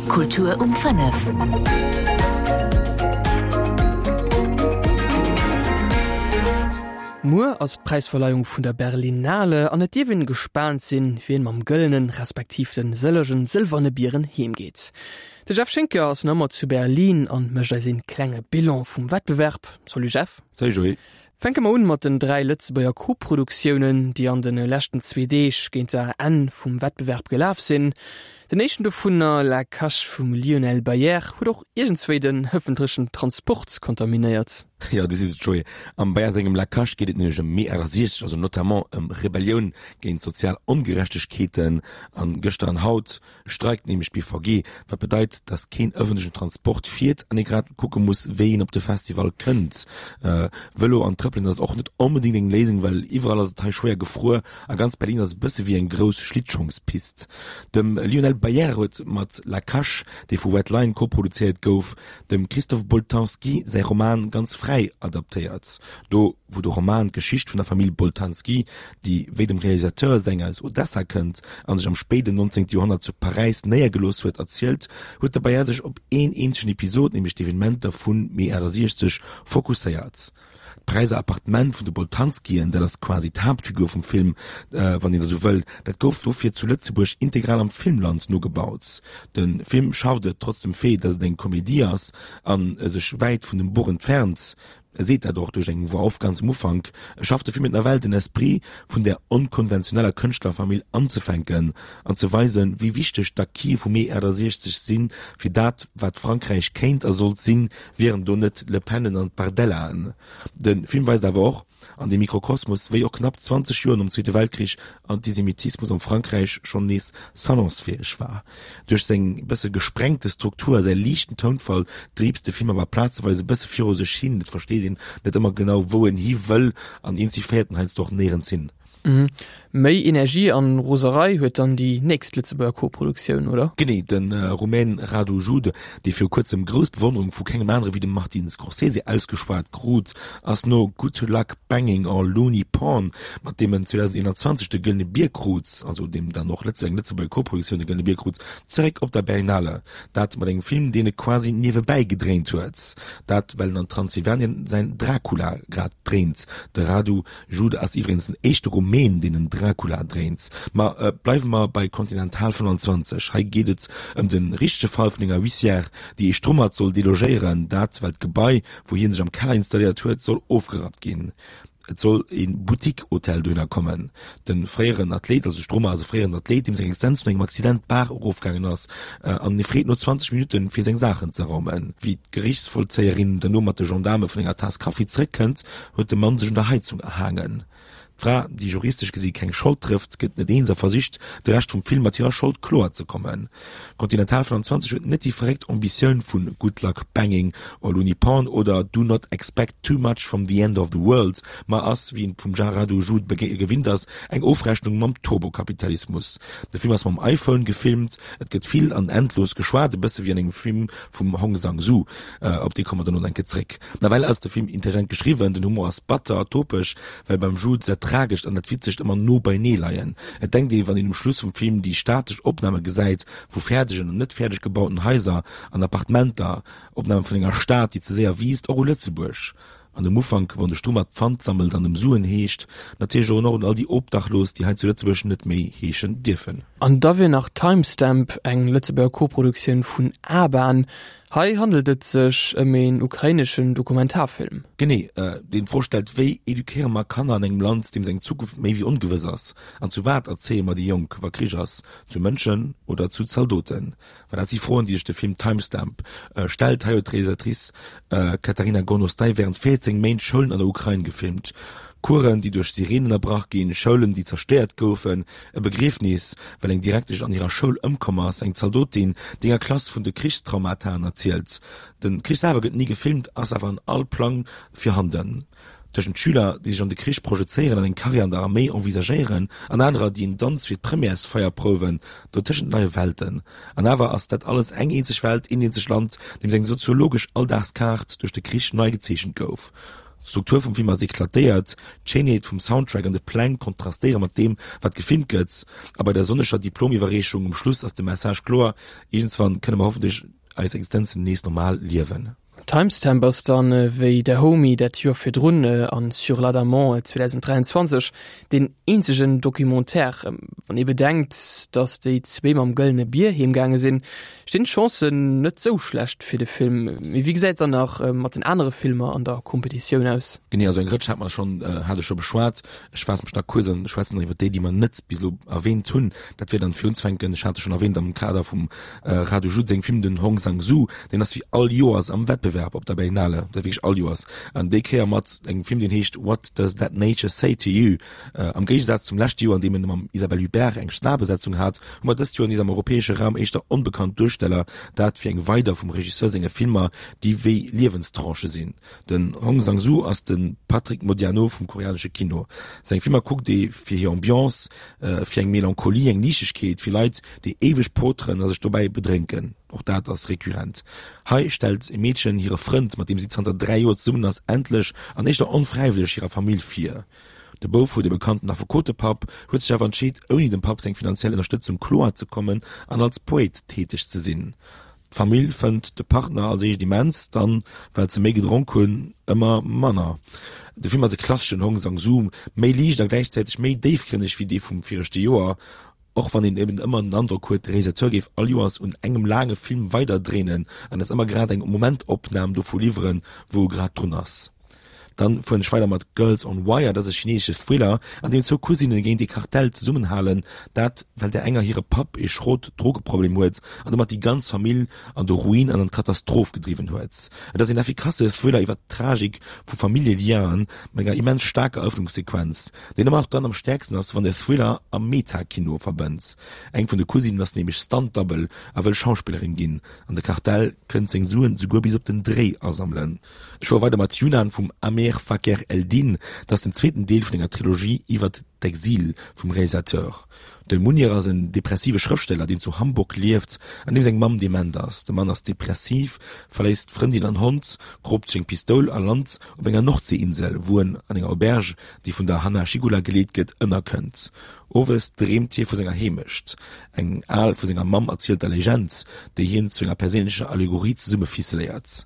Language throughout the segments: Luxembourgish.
Kultur um 5. Muer ass d'Präisverleihung vun der Berlinale an et dierf een gespaant sinn, wien mam gëllenen, respektiv den sëllegen sëlwerne Bieren heem geet. De Jeff Schinker ass nach ëmmer zu Berlin an mécht eis een klenge Bilan vum Wettbewerb. Salut Jeff. Salut Joé. Fänke mer un mat den 3 Lëtzebuerger Koproduktiounen, déi an de leschten zwee Deeg géint der Enn vum Wettbewerb gelaf sinn. Den éischten dovunner, La Cache vum Lionel Bayer, huet och iergendswéi den ëffentlechen Transport kontaminéiert. Jo, du sees et Joé, am Bayer sengem La Cache geet et nämlech ëm Mee 68, also notamment ëm Rebellioun géint sozial Ongerechtegkeeten. An gëschter an haut streikt nämlech d'BVG, wat bedeit, datt keen ëffentlechen Transport fiert an ee grad kucke muss, wéi een op de Festival kënnt. Vëlo an Trëppelen ass och net onbedéngt eng Léisung, well iwwerall ass et hei schwéier gefruer a ganz Berlin ass e bësse wéi eng grouss Schlittschongspist. Dem Lionel Bayer huet mat La Cache, dee vu Red Lion koproduzéiert gouf, dem Christophe Boltanski säi Roman ganz fräi adaptéiert. Do wou de Roman d'Geschicht vun der Famill Boltanski, déi wéi dem Realisateur seng aus Odessa kënnt a sech am spéiden 19. Joerhonnert zu Paräis néiergelooss huet, erzielt, huet de Bayer sech op een eenzegen Episod, nämlech d'Evenementer vu Mee 68, fokusséiert. D'Paräiser Appartement vun de Boltanskien, dat ass quasi d'Haaptfigur vum Film, wann een esou wëll, dat gouf dofir zu Lëtzebuerg integral am Filmland nogebaut. De Film schafft et, trotz dem Fait, datt et eng Komedie ass a sech wäit vun dem Buch entfernt, E seet dat och duerch eng Voix off ganz um Ufank, E schafft de Film et nawell, den Esprit vun där onkonventioneller Kënschtlerfamill anzefänken an ze weisen, wéi wichteg d'Acquise vu Mee 68 sinn, fir dat, wat Frankräich kéint a sollt sinn, wieren do net d'Le Penen an d'Bardellaen. De Film weist awer och an deem Mikrokosmos, wéi och knapp 20 Joer nom Zweete Weltkrich Antisemitismus am Frankräich schonn nees salonsfäeg war. Duerch seng bësse gesprengte Struktur a säi liichten Tounfall driibst de Film awer plazeweis e bësse viru sech hin, et versteet een net ëmmer genau wou en hi wëll an eenzi féiert en heiansdo och néierens hin. Méi Energie an Roserei huet dann déi nächst Lëtzebuerger Koproduktioun, oder? Genee, de Rumän Radu Jude, dee viru kuerzem grouss Bewonnerung vu kengem anere wéi dem Martin Scorsese ausgeschwat krut, ass no Good Luck Banging or Looney Porn, mat deem en 2021 de Gëllene Bier krut, also deem dann och eng Lëtzebuerger Koproduktioun de Gëllene Bier krut, zeréck op der Berlinale. Dat mat engem Film, deen e quasi niewebäi gedréint huet. Dat well en an Transsilvanien säin Dracula grad dréint. De Radu Jude ass iwwregens den éischte Rumän, deen en Dracula dréint. Ma bleiwe mer bei Continental 25. Hei geet et ëm de richtege Fall vun enger Huissière, déi ee Strummert soll delogéieren. Dat well d'Gebai, wou hie sech am Keller installéiert huet, soll ofgerappt ginn. Et soll e Boutique-Hotel dohinner kommen. De fréieren Athlet, also Strummer ass e fréieren Athlet, deem seng Existenz no engem Accident d'Baach erofgaangen ass an e freet no 20 Minutten, fir seng Saachen ze raumen. Wéi d'Gerichtsvollzéierin duerno mat de Gendaarme vun enger Taass Kaffi zeréckkënnt, huet de Mann sech un der Heizung erhaangen. D'Fra, déi juristesch gesi keng Schold trëfft, gëtt net eens a versicht, de Rescht vum Film mat hirer Schold kloer ze kommen. Continental 25 huet net déi verréckt Ambitioun vu Good Luck Banging or Looney Porn oder Do Not Expect Too Much From The End Of The World, ma ass, wéi een et vum Radu Jude gewinnt ass, eng Ofrechnung mam Turbokapitalismus. De Film ass mam iPhone gefilmt, et gëtt vill an endlos geschwat, e bësse wéi an engem Film vum Hong Sang-soo. Op dee komme mer dono eng Kéier zréck. Nawell ass de Film intelligent geschriwwen, den Humor ass batter, topeg, well beim Jude dat Tragescht an dat Witzegt ëmmer no beinee leien. Et denkt ee, wann een um Schluss vum Film déi statesch Opname gesäit vu fäerdegen an net fäerdeg gebauten Haiser an Appartementer, Opname vun enger Stad, déi ze séier wiisst, och u Lëtzebuerg. An um Ufank, wann de Strummert Pfand sammelt an ëm Suen heescht, natierlech och un all déi Obdachlos, déi hei zu Lëtzebuerg net méi heeschen dierfen. An da wier nach Timestamp, eng Lëtzebuerger Koproduktioun vun A-Bahn. Hei handelt et sech ëm een ukraineschen Dokumentarfilm. Genee, deen d'Fro stellt, Wéi eduquéiere mer Kanner an engem Land, deem seng Zukunft méi wéi ongewëss ass? An zu wat erzéie mer déi Jonk, wa Krich ass? Zu Mënschen oder zu Zaldoten? Well dat si Froen, déi sech de Film Timestamp stellt. Hei huet d'Realisatrice Kateryna Gornostai wärend 14 Méint Schoulen an der Ukrain gefilmt. Coursen, déi duerch Sireenen ënnerbrach ginn, Schoulen, déi zerstéiert goufen, e Begriefnis, well eng Direktesch an hirer Schoul ëmkomm ass, eng Zaldotin, déi enger Klass vun de Krichstraumataen erzielt. De Krich selwer gëtt ni gefilmt, ass awer an all Plang virhanden. Tëschent Schüler, déi sech an de Krich projezéieren an eng Karriär an der Arméi envisagéieren, an anerer, déi en Danz fir d'Premièresfeier prouwen, dotëschent leie Welten. An awer ass dat alles eng eenzeg Welt, een eenzegt Land, deem seng soziologesch Alldagskaart duerch de Krich nei gezeechent gouf. D'Struktur vum Film ass eklatéiert, d'Schéinheet vum Soundtrack an de Pläng kontrastéiere mat deem, wat gefilmt gëtt. A bei der sonneger Diplomiwwerreechung um Schluss ass de Message kloer, Iergendswann kënne mer hoffentlech eis Existenzen nees normal liewen. Timestamp ass dann, wéi Dahomey dat Joer virdrun an Sur l'Adamant 2023, deen eenzegen Documentaire. Wann ee bedenkt, datt déi zwee mam Gëllene Bier heemgaange sinn, stinn d'Chancen net sou schlecht fir de Film. Mee wéi gesäit et dann nach mat den anere Filmer an der Kompetitioun aus? Genee, also eng Rëtsch hat mer schonn, hat ech scho beschwat. Ech faasse mech nach kuerz an schwätzen nach iwwer déi, déi mer net bis elo erwähnt hunn. Dat wier dann fir unzefänken, ech hat e schonn erwähnt am Kader vum Radu Jude sengem Film, den Hong Sang-soo. Deen ass wéi all Joers am Wettbewerb op der Berlinale, dat wierklech all Joers, an déi Kéier mat engem Film, deen heescht What Does That Nature Say to You? Am Géigesaz zum leschte Joer, an deem en mam Isabelle Huppert eng Starbesetzung hat, hu mer dëst Joer nees am europäesche Raum éischter onbekannt Duersteller, dat fir eng weider vum Regisseur senge Filmer, déi wéi Liewenstranchë sinn. Den Hong Sang-soo ass de Patrick Modiano vum koreanesche Kino. Seng Filmer kuckt ee fir hir Ambiance, fir eng Melancholie, eng Liichtegkeet, fir Leit, déi éiweg poteren a sech dobäi bedrénken. Och dat ass rekurrent. Hei stellt e Meedchen hire Frënd, mat deem si zanter 3 Joer zesummen ass, endlech an éischter onfräiwëlleg hirer Famill vir. De Bouf huet e bekannten Affekotepapp, huet sech awer entscheet, ouni dem Papp seng finanziell Ënnerstëtzung kloer ze kommen an als Poet täteg ze sinn. D'Famill fënnt de Partner als éischt immens, dann, well se méi gedronk hunn, ëmmer manner. De Film ass e klasseschen Hong Sang-soo, méi liicht a gläichzäiteg méi déifgrënneg wéi dee vum viregte Joer, och wann een eben ëmmer den Androck huet, de Realisateur géif all Joers un engem laange Film weiderdréinen an eis ëmmer grad eng Momentopnam dovu liwweren, wou e grad drun ass. Dann fueren ech weider mat Girls on Wire, dat ass e chinesesche Thriller, an deem zwou Cousinne géint ee Kartell zesummenhalen, dat well där enger hire Papp ee schrot Drogeproblem huet an domat déi ganz Famill an de Ruin an an d'Katastroph gedriwwen huet. Et ass een effikasse Thriller iwwer d'Tragik vu Familljeliaen mat enger immens staarker Erëffnungssequenz, deen ëmmer och dann am stäerksten ass, wann de Thriller a Meta-Kino verbënnt. Eng vun de Cousinen ass nämlech Stunt-Double a wëll Schauspillerin ginn, an de Kartell kënnt seng Suen souguer bis op den Dréi asammelen. Ech fuere weider mat Yunan vum Ameer Fakher Eldin. Dat ass den zweeten Deel vun enger Trilogie iwwert d'Exil vum Realisateur. De Munir ass en depressive Schrëftsteller, deen zu Hamburg lieft an deem seng Mamm dement ass. De Mann ass depressiv, verléisst Frëndin an Hond, kroopt sech eng Pistoul a lant op enger Nordseeinsel, wou en an enger Auberge, déi vun der Hanna Schygulla geleet gëtt, ënnerkënnt. Owes dreemt hie vu senger Heemecht, eng al vu senger Mamm erzielter Legend, déi hien zu enger perséinlecher Allegorie zesummeficeléiert.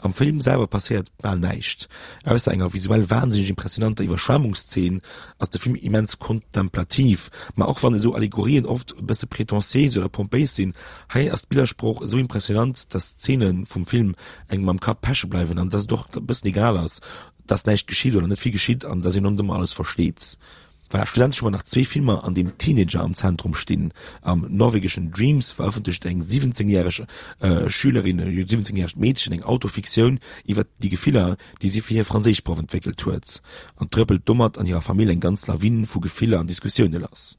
Am Film selwer passéiert bal näischt. Ausser enger visuell wahnsinneg impressionanter Iwwerschwemmungszeen ass de Film immens kontemplativ. Ma och wann esou Allegorien oft e bësse pretentiéis oder pompéis sinn, hei ass d'Billersprooch esou impressionant, dass d'Zeene vum Film engem am Kapp peche bleiwen an dass et och e bëssen egal ass, dass näischt geschitt oder net vill geschitt an dass een och net ëmmer alles versteet. Voilà, schlussendlech hu mer nach zwee Filmer, an deem Teenager am Zentrum stinn. Am norwegeschen Dreams verëffentlecht eng 17 järeg Schülerin, e 17 järegt Meedchen eng Autofiktioun iwwer déi Gefiller, déi si fir hir Franséischproff entwéckelt huet an trëppelt domat an hirer Famill eng ganz Lawin vu Gefiller an Diskussioune lass.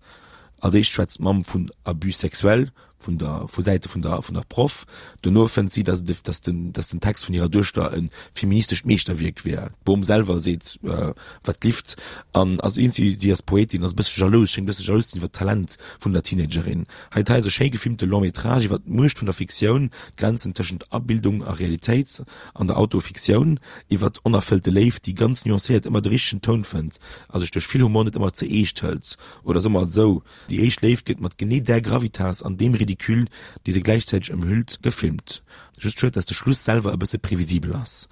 Als éischt schwätzt d'Mamm vun Abus sexuel, vun der vu Säite vun der vun der Proff. Dono fënnt si, dass et dass den dass den Text vun hirer Duechter e feministescht Meeschterwierk wier. D'Bom selwer seet wat lift an ass eens si si ass Poetin, ass e bësse jalous, schéngt e bësse jalous ze sinn iwwer d'Talent vun der Teenagerin. Hei hei ass e schéi gefilmte Long métrage iwwer d'Muecht vun der Fiktioun, d'Grenzen tëschent Abildung a Realitéit an der Autofiktioun, iwwer onerfëllte Léift, déi ganz nuancéiert ëmmer de richtegen Toun fënnt a sech duerch vill Humor net ëmmer ze eescht hëlt. Oder soe mer et esou, Déi éischt Léift gëtt mat genee där Gravitas an deem Ridicule, dee se gläichzäiteg ëmhüllt, gefilmt. Just schued, dass de Schluss selwer e bësse previsibel ass.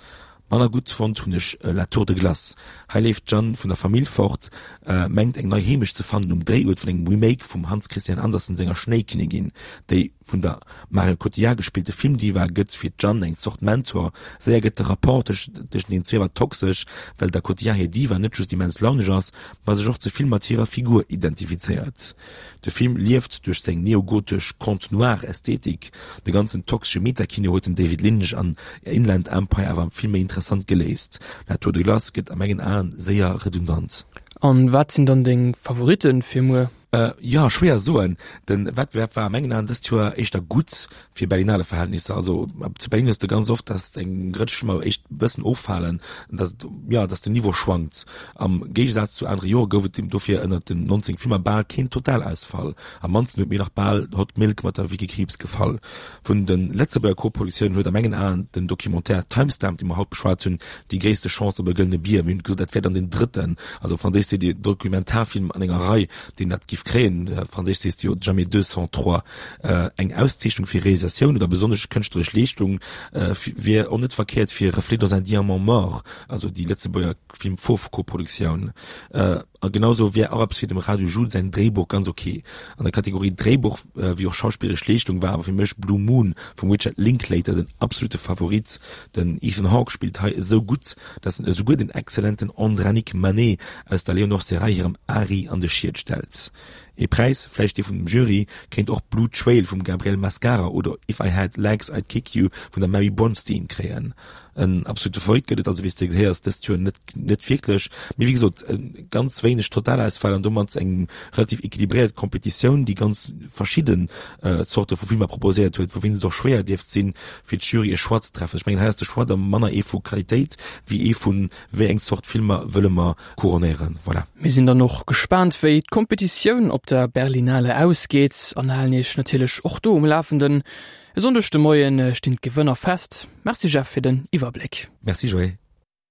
Manner gutt fonnt hunn ech La Tour de Glace. Hei leeft d'Jeanne vun der Famill fort, mengt eng nei Heemecht ze fannen um Dréiuert vun engem Remake vum Hans Christian Andersen senger Schnéikinnigin, déi vun der Marion Cotillard gespillte Filmdiva gëtt fir d'Jeanne eng Zort Mentor. Séier gëtt de Rapport tëschent den zwee awer toxesch, well der Cotillard hir Diva net just immens launeg ass, ma sech och ze vill mat hirer Figur identifizéiert. De Film lieft duerch seng neogotesch Conte noir Ästhetik. De ganzen toxesche Metakino huet den David Lynch an Inland Empire awer vill méi interessant geléist. La Tour de Glace gëtt a mengen Aen séier redundant. An wat sinn dann deng Favoritten fir muer? Jo, schwéier soen. De Wettbewerb war a mengen Aen dëst Joer éischter gutt fir Berlinale Verhältnisser. Also zu Berlin hues de ganz oft, dass eng Rëtsch Filmer éischt e bëssen offalen, dass et, jo, dass den Niveau schwankt. Am Géigesaz zu anere Jore gouf et dofir ënnert den 19 Filmer bal keen Totalausfall. Am mannsten huet mir nach bal Hot Milk mat der Vicky Krieps gefall. Vun de Lëtzebuerger Koproductiounen huet a mengen Aen den Documentaire Timestamp, dee mer haut beschwat hunn, déi gréisste Chance op e gëllene Bier. Mir hunn gesot, dat wär dann deen drëtten, also op Franséisch seet ee Dokumentarfilm an enger Rei, deen dat giff kréien, op Franséisch sees de jo jamais deux sans trois. Eng Auszeechnung fir Realisatioun oder besonnesch kënschtleresch Leeschtung wier och net verkéiert fir Reflets dans un diamant mort, also déi Lëtzebuerger Film-Fauve-Koproduktioun. A genau sou wär och eppes fir dem Radu Jude säin Dréibuch ganz ok. An der Kategorie Dréibuch wéi och schauspilleresch Leeschtung war awer fir mech Blue Moon vum Richard Linklater den absolute Favorit. Den Ethan Hawke spillt hei esou gutt, dass en esouguer den exzellenten Andranik Manet aus der Léonore Serraille hirem Ari an de Schiet stellt. Ee Präis, vläicht dee vun dem Jury, kéint och Blue Trail vum Gabriel Mascara oder If I Had Legs I'd Kick You vun der Mary Bronstein kréien. En absolute Favorit gëtt et also, wéi s de gehéiers, dëst Joer net net wierklech. Mee wéi gesot, ganz wéineg Totalausfäll an domat eng relativ equilibréiert Competitioun, déi ganz verschidden Zorte vu Filmer proposéiert huet, wouwéinst et och schwéier dierft sinn, fir d'Jury e Choix ze treffen. Ech mengen, hei ass de Choix da manner ee vu Qualitéit wéi ee vun, wéi eng Zort Filmer wëlle mer couronnéieren. Voilà. Mir sinn dann och gespaant, wéi d'Kompetitioun op der Berlinale ausgeet an halen Iech natierlech och do um Lafenden. E Sonndeg de Moie stinn d'Gewënner fest. Merci Jeff fir den Iwwerbléck. Merci Joé.